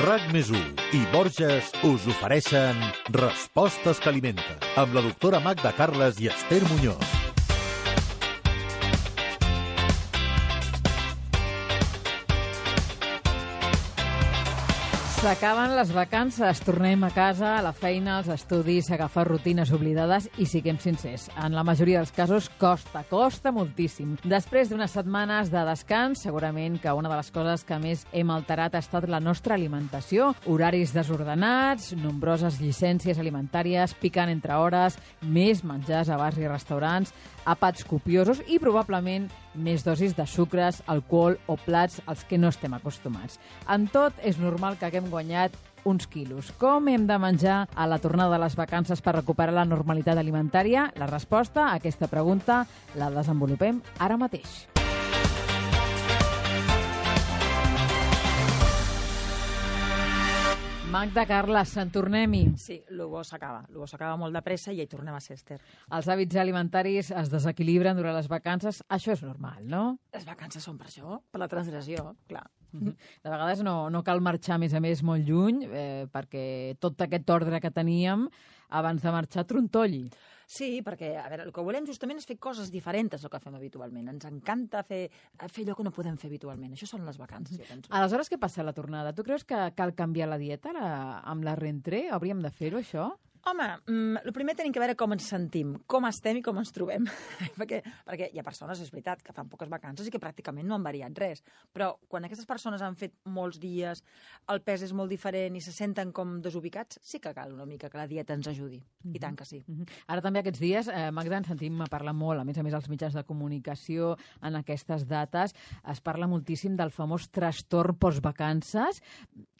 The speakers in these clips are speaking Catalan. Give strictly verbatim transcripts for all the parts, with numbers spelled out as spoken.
RAC més u i Borges us ofereixen Respostes que alimenten, amb la doctora Magda Carles i Esther Muñoz. S'acaben les vacances, tornem a casa, a la feina, als estudis, a agafar rutines oblidades i siguem sincers, en la majoria dels casos costa, costa moltíssim. Després d'unes setmanes de descans, segurament que una de les coses que més hem alterat ha estat la nostra alimentació. Horaris desordenats, nombroses llicències alimentàries, picant entre hores, més menjars a bars i restaurants, àpats copiosos i probablement més dosis de sucres, alcohol o plats als que no estem acostumats. En tot, és normal que haguem guanyat uns quilos. Com hem de menjar a la tornada de les vacances per recuperar la normalitat alimentària? La resposta a aquesta pregunta la desenvolupem ara mateix. Magda Carles, en tornem-hi. Sí, el bo s'acaba. El bo s'acaba molt de pressa i hi tornem a ser, Esther. Els hàbits alimentaris es desequilibren durant les vacances. Això és normal, no? Les vacances són per això, per la transgressió, clar. De vegades no, no cal marxar, a més a més, molt lluny, eh, perquè tot aquest ordre que teníem abans de marxar trontolli. Sí, perquè a veure, el que volem justament és fer coses diferents del que fem habitualment. Ens encanta fer, fer allò que no podem fer habitualment. Això són les vacances, jo penso. Aleshores, què passa a la tornada? Tu creus que cal canviar la dieta la, amb la rentrée? Hauríem de fer-ho, això? Home, mm, el primer tenim que veure com ens sentim, com estem i com ens trobem. perquè, perquè hi ha persones, és veritat, que fan poques vacances i que pràcticament no han variat res. Però quan aquestes persones han fet molts dies, el pes és molt diferent i se senten com desubicats, sí que cal una mica que la dieta ens ajudi. Mm-hmm. I tant que sí. Mm-hmm. Ara també aquests dies, eh, Magda, ens sentim a parlar molt, a més a més als mitjans de comunicació en aquestes dates, es parla moltíssim del famós trastorn postvacances.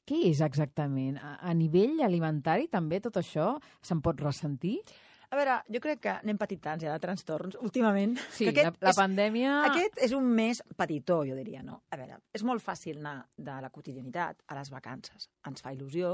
Què és exactament? A, a nivell alimentari també tot això se'n pot ressentir? A veure, jo crec que anem petitant ja de trastorns últimament. Sí, la, la és, pandèmia... Aquest és un mes petitó, jo diria, no? A veure, és molt fàcil anar de la quotidianitat a les vacances. Ens fa il·lusió,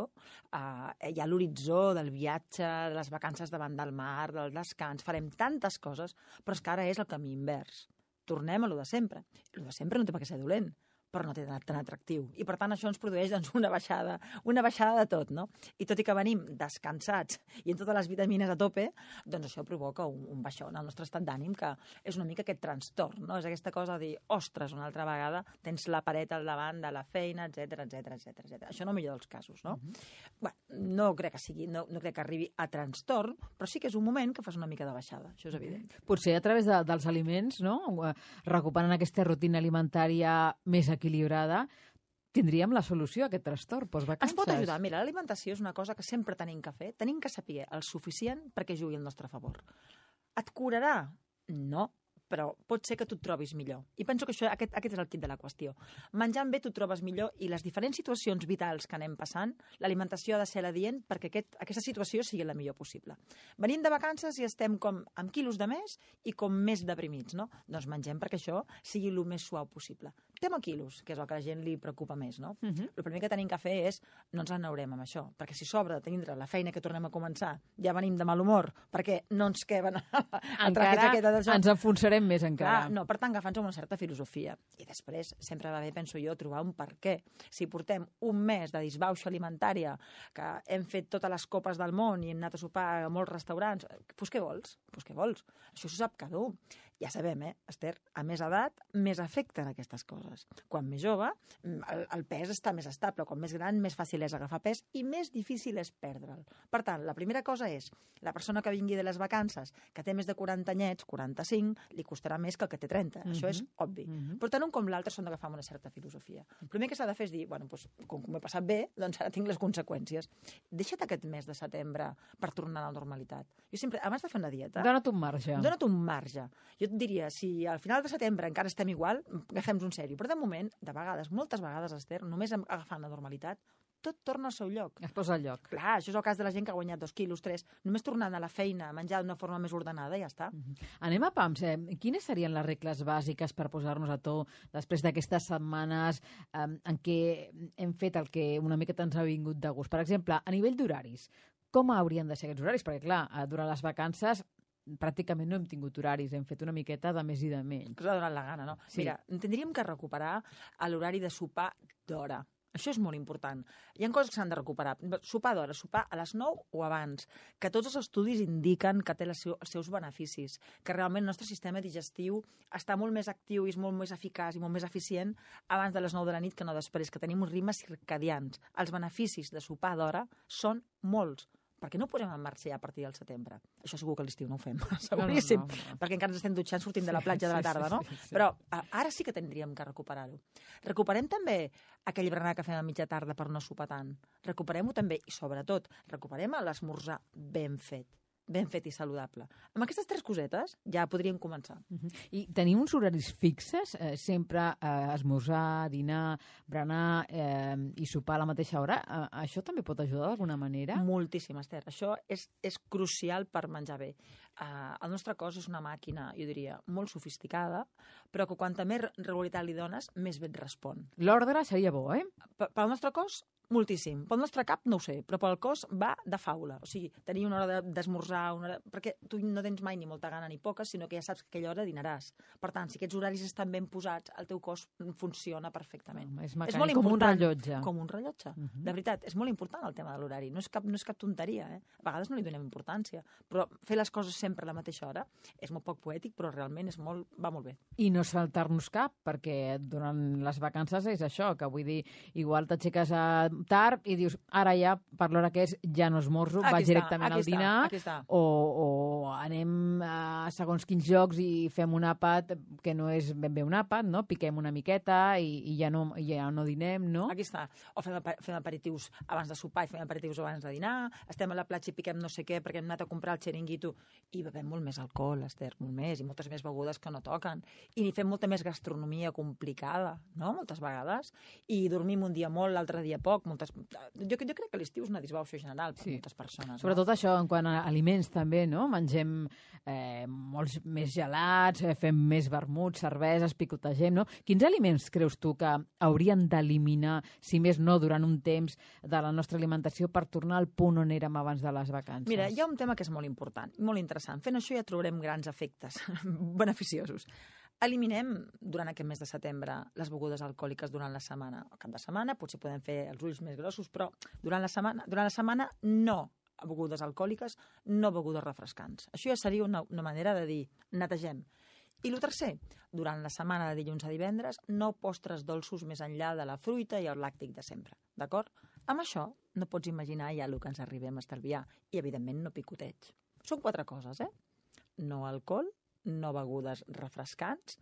eh, hi ha l'horitzó del viatge, de les vacances davant del mar, del descans, farem tantes coses, però és que ara és el camí invers. Tornem a lo de sempre. Lo de sempre no té per què ser dolent, però no té tan atractiu. I, per tant, això ens produeix doncs, una baixada, una baixada de tot, no? I tot i que venim descansats i amb totes les vitamines a tope, doncs això provoca un, un baixó en el nostre estat d'ànim, que és una mica aquest trastorn, no? És aquesta cosa de dir, ostres, una altra vegada tens la paret al davant de la feina, etcètera, etcètera, etcètera. Això no millor dels casos, no? Mm-hmm. Bé, no crec que sigui, no, no crec que arribi a trastorn, però sí que és un moment que fas una mica de baixada, això és evident. Potser a través de, dels aliments, no? Recuperant aquesta rutina alimentària més equilibrada, tindríem la solució a aquest trastorn postvacances. Ens pot ajudar. Mira, l'alimentació és una cosa que sempre tenim que fer. Tenim que saber el suficient perquè jugui al nostre favor. Et curarà? No, però pot ser que tu et trobis millor. I penso que això, aquest, aquest és el kit de la qüestió. Menjant bé tu et trobes millor i les diferents situacions vitals que anem passant, l'alimentació ha de ser l'adient perquè aquest, aquesta situació sigui la millor possible. Venim de vacances i estem com amb quilos de més i com més deprimits, no? Doncs mengem perquè això sigui el més suau possible. Tema quilos, que és el que a la gent li preocupa més, no? Uh-huh. El primer que tenim que fer és no ens enaurem amb això, perquè si sobre de tindre la feina que tornem a començar, ja venim de mal humor, perquè no ens queben encara ens enfonsarem més encara. Clar, no, per tant, agafant-nos una certa filosofia. I després, sempre va bé, penso jo, trobar un per què. Si portem un mes de disbauxa alimentària, que hem fet totes les copes del món i hem anat a sopar a molts restaurants, doncs què vols? Doncs què vols? Això s'ho sap cada un. Ja sabem, eh, Esther, a més edat, més afecten aquestes coses. Quan més jove, el, el pes està més estable. Quan més gran, més fàcil és agafar pes i més difícil és perdre'l. Per tant, la primera cosa és, la persona que vingui de les vacances, que té més de quaranta anyets, quaranta-cinc, li costarà més que el que té trenta. Mm-hmm. Això és obvi. Mm-hmm. Però tant un com l'altre són d'agafar una certa filosofia. El primer que s'ha de fer és dir, bueno, doncs, com que m'he passat bé, doncs ara tinc les conseqüències. Deixa't aquest mes de setembre per tornar a la normalitat. Jo sempre, abans de fer una dieta... Dona't un marge. Dona't un marge. Jo et diria, si al final de setembre encara estem igual, agafem-nos un sèrio. Però de moment, de vegades, moltes vegades, Esther, només agafant la normalitat, tot torna al seu lloc. Es posa al lloc. Clar, això és el cas de la gent que ha guanyat dos quilos, tres. Només tornant a la feina, a menjar d'una forma més ordenada, ja està. Uh-huh. Anem a pams. Eh? Quines serien les regles bàsiques per posar-nos a to després d'aquestes setmanes eh, en què hem fet el que una miqueta ens ha vingut de gust? Per exemple, a nivell d'horaris, com haurien de ser aquests horaris? Perquè, clar, durant les vacances pràcticament no hem tingut horaris, hem fet una miqueta de més i de menys. Que us ha donat la gana, no? Sí. Mira, tindríem que recuperar l'horari de sopar d'hora. Això és molt important. Hi ha coses que s'han de recuperar. Sopar d'hora, sopar a les nou o abans, que tots els estudis indiquen que té les seu, els seus beneficis, que realment el nostre sistema digestiu està molt més actiu i és molt més eficaç i molt més eficient abans de les nou de la nit que no després, que tenim uns ritmes circadians. Els beneficis de sopar d'hora són molts. Per què no ho posem en marxa ja a partir del setembre? Això segur que a l'estiu no ho fem, seguríssim, no, no, no, no. perquè encara ens estem dutxant sortint de la platja de la tarda, no? Sí, sí, sí. Però a, ara sí que tindríem que recuperar-ho. Recuperem també aquell berenar que fem a mitja tarda per no sopar tant. Recuperem-ho també, i sobretot, recuperem l'esmorzar ben fet. ben fet i saludable. Amb aquestes tres cosetes ja podríem començar. Uh-huh. I tenim uns horaris fixes? Eh, sempre eh, esmorzar, dinar, berenar eh, i sopar a la mateixa hora? Eh, això també pot ajudar d'alguna manera? Moltíssim, Esther. Això és, és crucial per menjar bé. Uh, el nostre cos és una màquina, jo diria, molt sofisticada, però que quanta més regularitat li dones, més bé et respon. L'ordre seria bo, eh? P- pel nostre cos, moltíssim. Pel nostre cap, no ho sé, però pel cos va de faula. O sigui, tenir una hora d'esmorzar, una hora... perquè tu no tens mai ni molta gana ni poca, sinó que ja saps que aquella hora dinaràs. Per tant, si aquests horaris estan ben posats, el teu cos funciona perfectament. No, és mecànic, és molt com un rellotge. Com un rellotge. Uh -huh. De veritat, és molt important el tema de l'horari. No és cap, no és cap tonteria, eh? A vegades no li donem importància, però fer les coses sempre a la mateixa hora és molt poc poètic, però realment és molt, va molt bé. I no saltar-nos cap, perquè durant les vacances és això, que vull dir, igual t'aixeques a tard i dius, ara ja, per l'hora que és, ja no esmorzo, aquí vaig està, directament al dinar, està, o, o anem a segons quins llocs i fem un àpat que no és ben bé un àpat, no? Piquem una miqueta i, i ja, no, ja no dinem, no? Aquí està. O fem, fem aperitius abans de sopar i fem aperitius abans de dinar, estem a la platja i piquem no sé què perquè hem anat a comprar el xeringuito i bevem molt més alcohol, Esther, molt més, i moltes més begudes que no toquen. I fem molta més gastronomia complicada, no?, moltes vegades. I dormim un dia molt, l'altre dia poc, moltes... Jo, jo crec que l'estiu és una disbauxa general per sí. moltes persones. Sobretot no? això, en quant a aliments també, no? Mengem eh, molts més gelats, eh, fem més vermuts, cerveses, picotegem, no? Quins aliments creus tu que haurien d'eliminar, si més no, durant un temps de la nostra alimentació per tornar al punt on érem abans de les vacances? Mira, hi ha un tema que és molt important, molt interessant. Fent això ja trobarem grans efectes beneficiosos. Eliminem, durant aquest mes de setembre, les begudes alcohòliques durant la setmana. Al cap de setmana potser podem fer els ulls més grossos, però durant la setmana, durant la setmana no begudes alcohòliques, no begudes refrescants. Això ja seria una, una manera de dir, netegem. I el tercer, durant la setmana de dilluns a divendres, no postres dolços més enllà de la fruita i el làctic de sempre, d'acord? Amb això no pots imaginar ja el que ens arribem a estalviar. I, evidentment, no picoteig. Són quatre coses, eh? No alcohol, no begudes refrescants,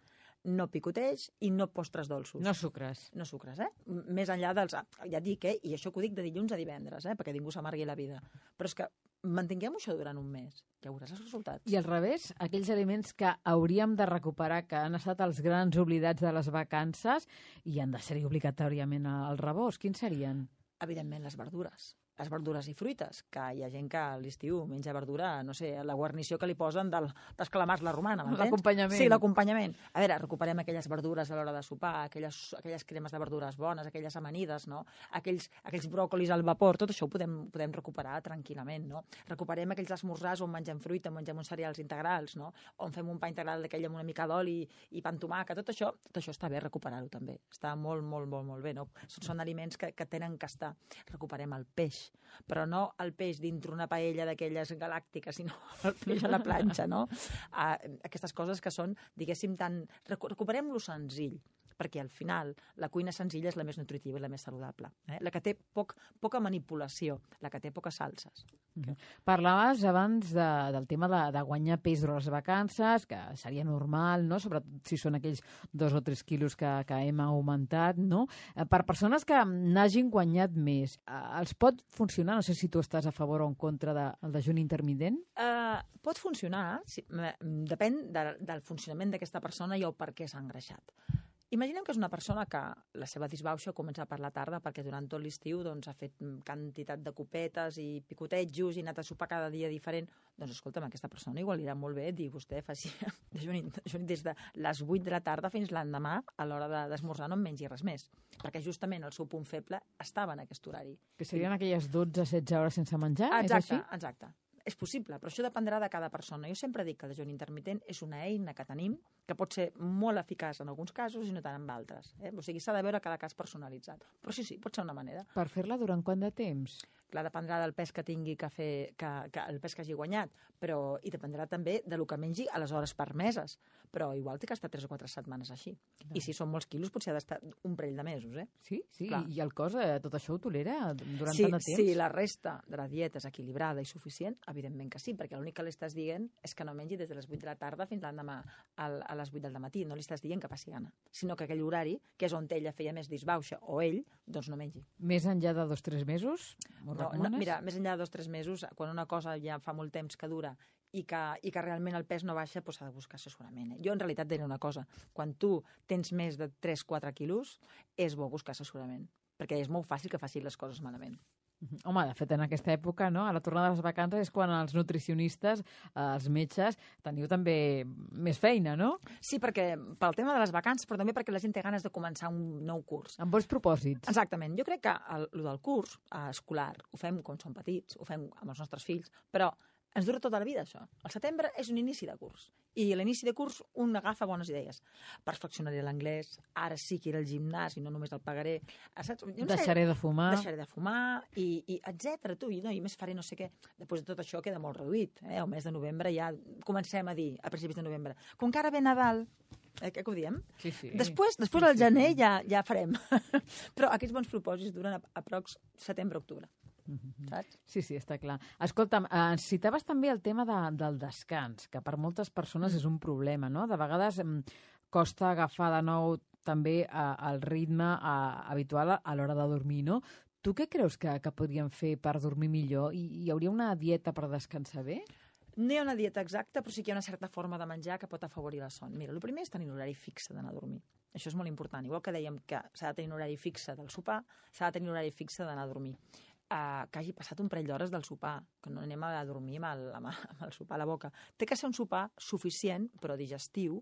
no picoteig i no postres dolços. No sucres. No sucres, eh? Més enllà dels... Ja et dic, eh? I això que ho dic de dilluns a divendres, eh? Perquè ningú s'amargui la vida. Però és que mantinguem això durant un mes. Ja veuràs els resultats. I al revés, aquells aliments que hauríem de recuperar, que han estat els grans oblidats de les vacances i han de ser obligatòriament al rebost, quins serien? Evidentment, les verdures. Les verdures i fruites, que hi ha gent que a l'estiu menja verdura, no sé, la guarnició que li posen del, dels calamars la romana, m'entens? L'acompanyament. Sí, l'acompanyament. A veure, recuperem aquelles verdures a l'hora de sopar, aquelles, aquelles cremes de verdures bones, aquelles amanides, no? Aquells, aquells bròcolis al vapor, tot això ho podem, podem recuperar tranquil·lament, no? Recuperem aquells esmorzars on mengem fruita, on mengem uns cereals integrals, no? On fem un pa integral d'aquell amb una mica d'oli i pa amb tomàquet, tot això, tot això està bé recuperar-ho també. Està molt, molt, molt, molt bé, no? Són, són aliments que, que tenen que estar. Recuperem el peix, però no el peix dintre una paella d'aquelles galàctiques, sinó el peix a la planxa, no? Uh, aquestes coses que són, diguéssim, tan... Recuperem-lo senzill, perquè al final la cuina senzilla és la més nutritiva i la més saludable. Eh? La que té poc, poca manipulació, la que té poques salses. Mm-hmm. Parlaves abans de, del tema de, de guanyar pes durant les vacances, que seria normal, no? Sobretot si són aquells dos o tres quilos que, que hem augmentat, no? Per persones que n'hagin guanyat més, els pot funcionar? No sé si tu estàs a favor o en contra del de, dejuni intermitent. Uh, pot funcionar, sí, depèn de, del funcionament d'aquesta persona i el per què s'ha engreixat. Imaginem que és una persona que la seva disbauxa comença per la tarda perquè durant tot l'estiu doncs, ha fet quantitat de copetes i picotejos i ha anat a sopar cada dia diferent. Doncs escolta'm, aquesta persona igual li irà molt bé dir vostè faci dejuni, dejuni des de les vuit de la tarda fins l'endemà a l'hora d'esmorzar no en mengi res més. Perquè justament el seu punt feble estava en aquest horari. Que serien aquelles dotze setze hores sense menjar? Exacte, és així? Exacte. és possible, però això dependrà de cada persona. Jo sempre dic que el dejuni intermitent és una eina que tenim que pot ser molt eficaç en alguns casos i no tant en altres. Eh? O sigui, s'ha de veure cada cas personalitzat. Però sí, sí, pot ser una manera. Per fer-la durant quant de temps? Clar, dependrà del pes que tingui que fer, que, que el pes que hagi guanyat, però, i dependrà també de lo que mengi a les hores permeses. Però igual té que estar tres o quatre setmanes així. I si són molts quilos, potser ha d'estar un parell de mesos, eh? Sí, sí. Clar. I el cos, eh, tot això ho tolera durant Sí, tant de temps? sí, la resta de la dieta és equilibrada i suficient, evidentment que sí, perquè l'únic que li estàs dient és que no mengi des de les vuit de la tarda fins l'endemà al- a les vuit del matí. No li estàs dient que passi gana, sinó que aquell horari, que és on ella feia més disbauxa, o ell, doncs no mengi. Més enllà de dos o tres mesos? M'ho No, no, recomanes? mira, més enllà de dos o tres mesos, quan una cosa ja fa molt temps que dura i que, i que realment el pes no baixa, doncs s'ha de buscar assessorament. Eh? Jo, en realitat, diré una cosa. Quan tu tens més de tres o quatre quilos, és bo buscar assessorament, perquè és molt fàcil que facin les coses malament. Mhm. Home, de fet, en aquesta època, no? A la tornada de les vacances és quan els nutricionistes, eh, els metges, teniu també més feina, no? Sí, perquè pel tema de les vacances, però també perquè la gent té ganes de començar un nou curs. Amb bons propòsits. Exactament. Jo crec que el, el del curs eh, escolar ho fem quan som petits, ho fem amb els nostres fills, però ens dura tota la vida, això. El setembre és un inici de curs. I a l'inici de curs un agafa bones idees. Perfeccionaré l'anglès, ara sí que iré al gimnàs i no només el pagaré. Saps? Jo no sé, Deixaré de fumar. deixaré de fumar, i, i etcètera. Tu, i, no, i més faré no sé què. Després de tot això queda molt reduït. Eh? El mes de novembre ja comencem a dir, a principis de novembre, com que ara ve Nadal, eh, què que ho diem? Sí, sí. Després, després Sí, al sí, gener sí. ja, ja farem. Però aquests bons propòsits duren a, aprox setembre-octubre. Mhm. Saps? Sí, sí, està clar. Escolta'm, eh, ens citaves també el tema de, del descans, que per moltes persones és un problema, no? De vegades em, costa agafar de nou també eh, el ritme eh, habitual a, a l'hora de dormir, no? Tu què creus que, que podríem fer per dormir millor? I hi hauria una dieta per descansar bé? No hi ha una dieta exacta, però sí que hi ha una certa forma de menjar que pot afavorir la son. Mira, el primer és tenir un horari fixe d'anar a dormir. Això és molt important. Igual que dèiem que s'ha de tenir un horari fixe del sopar, s'ha de tenir un horari fixe d'anar a dormir. Uh, que hagi passat un parell d'hores del sopar, que no anem a dormir amb el, amb, amb el sopar a la boca. Té que ser un sopar suficient, però digestiu,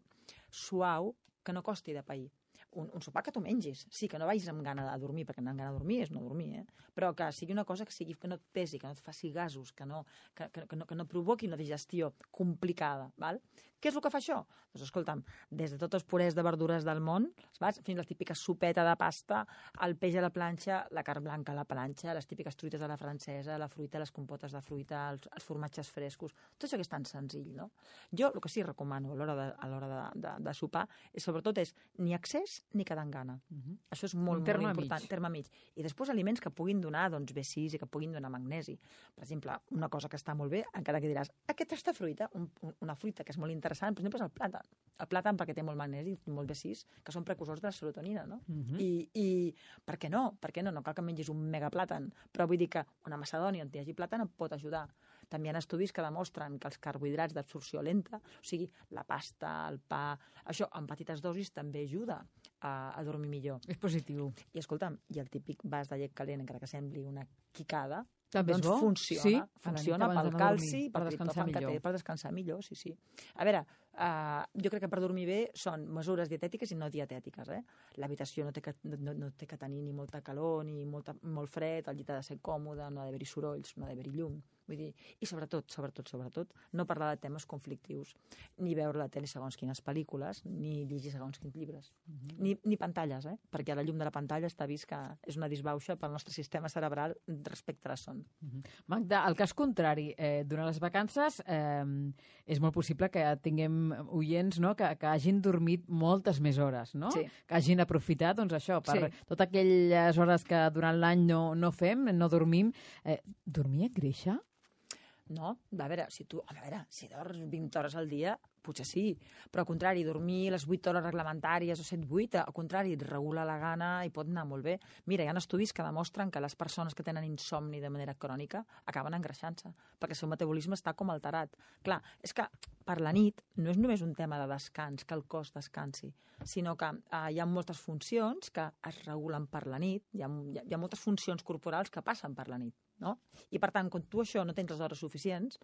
suau, que no costi de pair. Un, un sopar que tu mengis. Sí, que no vagis amb gana de dormir, perquè anar amb gana de dormir és no dormir, eh? Però que sigui una cosa que, sigui, que no et pesi, que no et faci gasos, que no, que, que, que no, que no provoqui una digestió complicada. Val? Què és el que fa això? Doncs escolta'm, des de tots els purés de verdures del món, saps? Fins a la típica sopeta de pasta, el peix a la planxa, la carn blanca a la planxa, les típiques truites a la francesa, la fruita, les compotes de fruita, els, els formatges frescos, tot això que és tan senzill, no? Jo el que sí recomano a l'hora de, a l'hora de, de, de sopar és, sobretot, és ni excés ni quedar en gana. Uh -huh. Això és molt, Un terme molt important. mig. Terme mig. I després aliments que puguin donar doncs, B sis i que puguin donar magnesi. Per exemple, una cosa que està molt bé, encara que diràs, aquesta fruita, un, una fruita que és molt interessant, per exemple, és el plàtan. El plàtan perquè té molt magnesi i molt B sis, que són precursors de la serotonina, no? Uh -huh. I, I per què no? Per què no? No cal que mengis un megaplàtan, però vull dir que una macedònia on hi hagi plàtan et pot ajudar. També hi ha estudis que demostren que els carbohidrats d'absorció lenta, o sigui, la pasta, el pa, això en petites dosis també ajuda a, a dormir millor. És positiu. I escolta'm, i el típic vas de llet calent, encara que sembli una quicada, També és doncs bo? funciona, Sí? A la nit funciona abans pel d'anar a calci, dormir, per pel descansar triptòfan que té, millor. per descansar millor, sí, sí. A veure, uh, jo crec que per dormir bé són mesures dietètiques i no dietètiques, eh? L'habitació no, té que, no, no té que tenir ni molta calor ni molta, molt fred, el llit ha de ser còmode, no ha d'haver-hi sorolls, no ha d'haver-hi llum. Vull dir, i sobretot, sobretot, sobretot, no parlar de temes conflictius, ni veure la tele segons quines pel·lícules, ni llegir segons quins llibres, uh -huh. ni, ni pantalles, eh? Perquè la llum de la pantalla està vist que és una disbauxa pel nostre sistema cerebral respecte a la son. Uh -huh. Magda, al cas contrari, eh, durant les vacances eh, és molt possible que tinguem oients, no?, que, que hagin dormit moltes més hores, no? Sí. Que hagin aprofitat, doncs això, per Sí. totes aquelles hores que durant l'any no, no fem, no dormim. Eh, dormir et greixa? No, a veure, si tu, a veure, si dors vint hores al dia, potser sí, però al contrari, dormir les vuit hores reglamentàries o set vuit, al contrari, et regula la gana i pot anar molt bé. Mira, hi ha estudis que demostren que les persones que tenen insomni de manera crònica acaben engreixant-se, perquè el seu metabolisme està com alterat. Clar, és que per la nit no és només un tema de descans, que el cos descansi, sinó que eh, hi ha moltes funcions que es regulen per la nit, hi ha, hi ha, hi ha moltes funcions corporals que passen per la nit, no? I per tant, quan tu això no tens les hores suficients,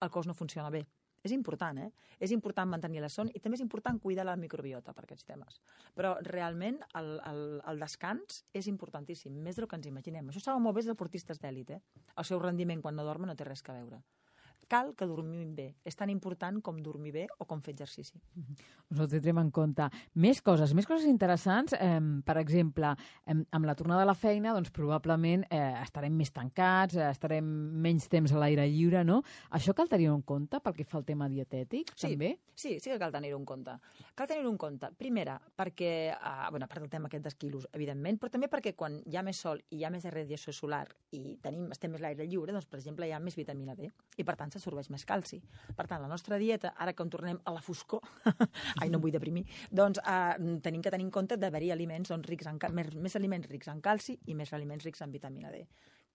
el cos no funciona bé. És important, eh? És important mantenir la son i també és important cuidar la microbiota per aquests temes. Però realment el, el, el descans és importantíssim, més del que ens imaginem. Això saben molt bé els deportistes d'èlit, eh? El seu rendiment quan no dormen no té res a veure. cal que dormim bé. És tan important com dormir bé o com fer exercici. Us ho tindrem en compte. Més coses, més coses interessants. Eh, per exemple, eh, amb la tornada a la feina, doncs probablement eh, estarem més tancats, eh, estarem menys temps a l'aire lliure, no? Això cal tenir-ho en compte pel que fa al tema dietètic, sí, també? Sí, sí que cal tenir-ho en compte. Cal tenir-ho en compte, primera, perquè, eh, bueno, a part del tema aquest dels quilos, evidentment, però també perquè quan hi ha més sol i hi ha més radiació solar i tenim, estem més a l'aire lliure, doncs, per exemple, hi ha més vitamina D i, per tant, s'absorbeix més calci. Per tant, la nostra dieta, ara que en tornem a la foscor, ai, no em vull deprimir, doncs eh, tenim que tenir en compte d'haver-hi aliments doncs, rics en, més, més aliments rics en calci i més aliments rics en vitamina D.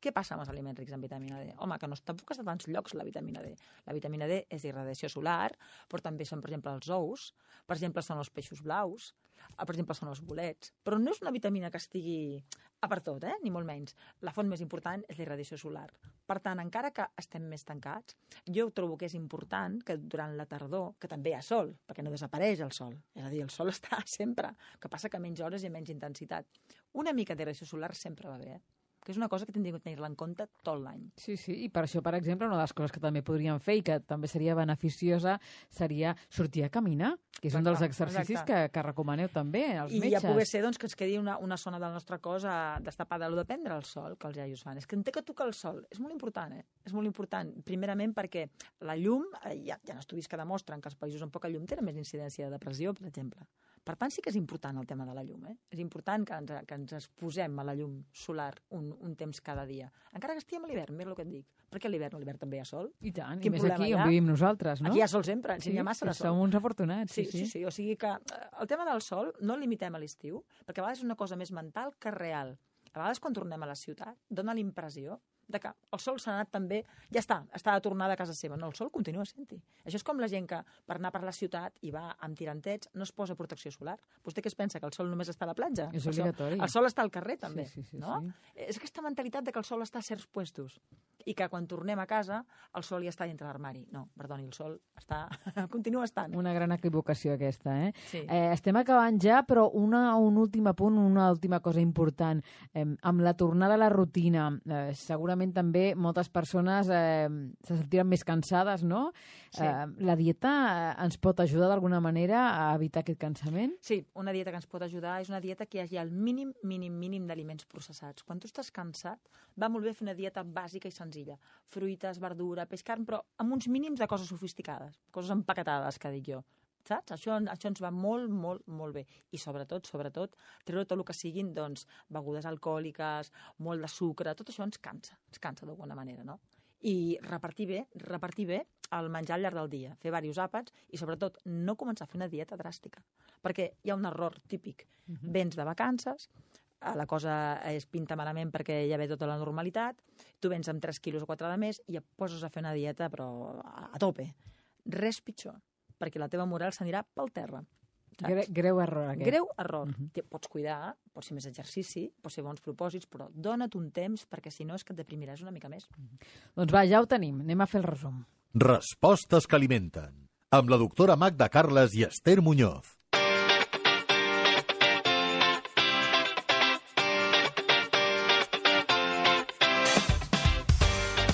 Què passa amb els aliments rics en vitamina D? Home, que no està a tants llocs la vitamina D. La vitamina D és irradiació solar, però també són, per exemple, els ous, per exemple, són els peixos blaus, per exemple, són els bolets. Però no és una vitamina que estigui a per tot, eh? Ni molt menys. La font més important és la irradiació solar. Per tant, encara que estem més tancats, jo trobo que és important que durant la tardor, que també hi ha sol, perquè no desapareix el sol, és a dir, el sol està sempre, que passa que menys hores i menys intensitat. Una mica d'irradiació solar sempre va bé, eh? Que és una cosa que tindríem que tenir-la en compte tot l'any. Sí, sí, i per això, per exemple, una de les coses que també podríem fer i que també seria beneficiosa seria sortir a caminar, que és exacte, un dels exercicis que, que recomaneu també als I metges. I ja poder ser doncs, que ens quedi una, una zona del nostre cos a, destapada, o de prendre el sol, que els iaios fan. És que en té que tocar el sol. És molt important, eh? És molt important. Primerament perquè la llum, eh, hi, ha, hi ha estudis que demostren que els països amb poca llum tenen més incidència de depressió, per exemple. Per tant, sí que és important el tema de la llum. Eh? És important que ens, que ens exposem a la llum solar un, un temps cada dia. Encara que estiguem a l'hivern, mira el que et dic. Perquè a l'hivern, a l'hivern també hi ha sol. I tant, Quin i més aquí on vivim nosaltres, no? Aquí hi ha sol sempre, ens sí, hi ha massa de sol. Som uns afortunats. Sí, sí, sí, sí. O sigui que el tema del sol no el limitem a l'estiu, perquè a vegades és una cosa més mental que real. A vegades quan tornem a la ciutat dona la impressió de que el sol s'ha anat també, ja està, està de tornada a casa seva. No, el sol continua sent-hi. Això és com la gent que per anar per la ciutat i va amb tirantets no es posa protecció solar. Vostè què es pensa, que el sol només està a la platja? És obligatori. El sol està al carrer també, sí, sí, sí, no? Sí. És aquesta mentalitat de que el sol està a certs puestos i que quan tornem a casa el sol ja està dintre l'armari. No, perdoni, el sol està, continua estant. Una gran equivocació aquesta, eh? Sí. eh estem acabant ja, però una, un últim apunt, una última cosa important. Eh, amb la tornada a la rutina, eh, segurament també moltes persones eh, se sentiran més cansades, no? Sí. Eh, la dieta eh, ens pot ajudar d'alguna manera a evitar aquest cansament? Sí, una dieta que ens pot ajudar és una dieta que hi hagi el mínim, mínim, mínim d'aliments processats. Quan tu estàs cansat, va molt bé fer una dieta bàsica i senzilla. Fruites, verdura, peix, carn, però amb uns mínims de coses sofisticades, coses empaquetades, que dic jo. Saps? Això, això ens va molt, molt, molt bé. I sobretot, sobretot, treure tot el que siguin doncs, begudes alcohòliques, molt de sucre, tot això ens cansa, ens cansa d'alguna manera, no? I repartir bé, repartir bé el menjar al llarg del dia, fer diversos àpats i sobretot no començar a fer una dieta dràstica, perquè hi ha un error típic. Uh-huh. Vens de vacances, la cosa es pinta malament perquè ja ve tota la normalitat, tu vens amb tres quilos o quatre de més i et poses a fer una dieta però a, a tope. Res pitjor, perquè la teva moral s'anirà pel terra. Gre greu error, aquest. Greu error. Uh Uh-huh. -huh. Pots cuidar, pots fer més exercici, pots fer bons propòsits, però dona't un temps perquè si no és que et deprimiràs una mica més. Uh -huh. Doncs va, ja ho tenim. Anem a fer el resum. Respostes que alimenten. Amb la doctora Magda Carles i Esther Muñoz.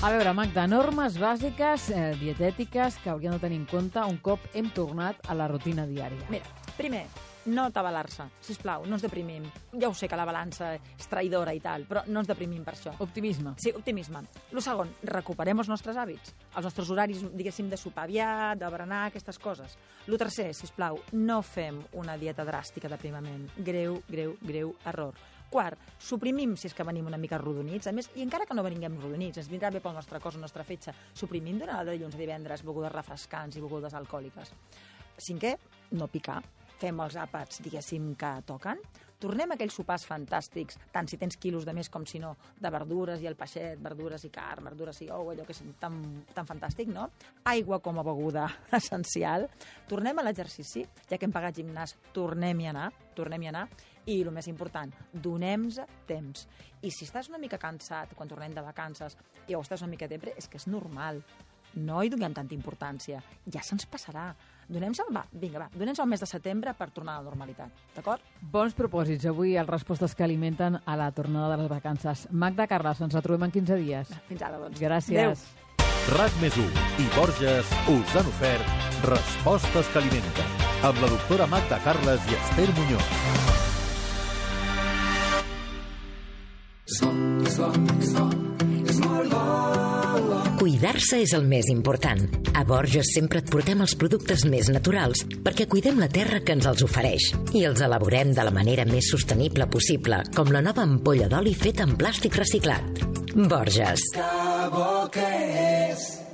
A veure, Magda, normes bàsiques eh, dietètiques que hauríem de tenir en compte un cop hem tornat a la rutina diària. Mira, primer, no atabalar-se, sisplau, no ens deprimim. Ja ho sé que la balança és traïdora i tal, però no ens deprimim per això. Optimisme. Sí, optimisme. Lo segon, recuperem els nostres hàbits, els nostres horaris, diguéssim, de sopar aviat, de berenar, aquestes coses. Lo tercer, sisplau, no fem una dieta dràstica d'aprimament. Greu, greu, greu error. Quart, suprimim si és que venim una mica rodonits. A més, i encara que no venim rodonits, ens vindrà bé pel nostre cos, la nostra fetge, suprimim durant el de dilluns a divendres begudes refrescants i begudes alcohòliques. Cinquè, no picar. Fem els àpats, diguéssim, que toquen. Tornem a aquells sopars fantàstics, tant si tens quilos de més com si no, de verdures i el peixet, verdures i carn, verdures i ou, allò que és tan, tan fantàstic, no? Aigua com a beguda essencial. Tornem a l'exercici, ja que hem pagat gimnàs, tornem-hi a anar, tornem-hi a anar. I el més important, donem-nos temps. I si estàs una mica cansat quan tornem de vacances i o estàs una mica depre, és que és normal. No hi donem tanta importància. Ja se'ns passarà. Donem-nos el, va, vinga, va, donem-nos el mes de setembre per tornar a la normalitat. D'acord? Bons propòsits. Avui les respostes que alimenten a la tornada de les vacances. Magda Carles, ens retrobem en quinze dies. Fins ara, doncs. Gràcies. Adéu. RAC més u i Borges us han ofert Respostes que alimenten, amb la doctora Magda Carles i Esther Muñoz. Cuidar-se és el més important. A Borges sempre et portem els productes més naturals perquè cuidem la terra que ens els ofereix i els elaborem de la manera més sostenible possible, com la nova ampolla d'oli feta en plàstic reciclat. Borges. Que bo que és!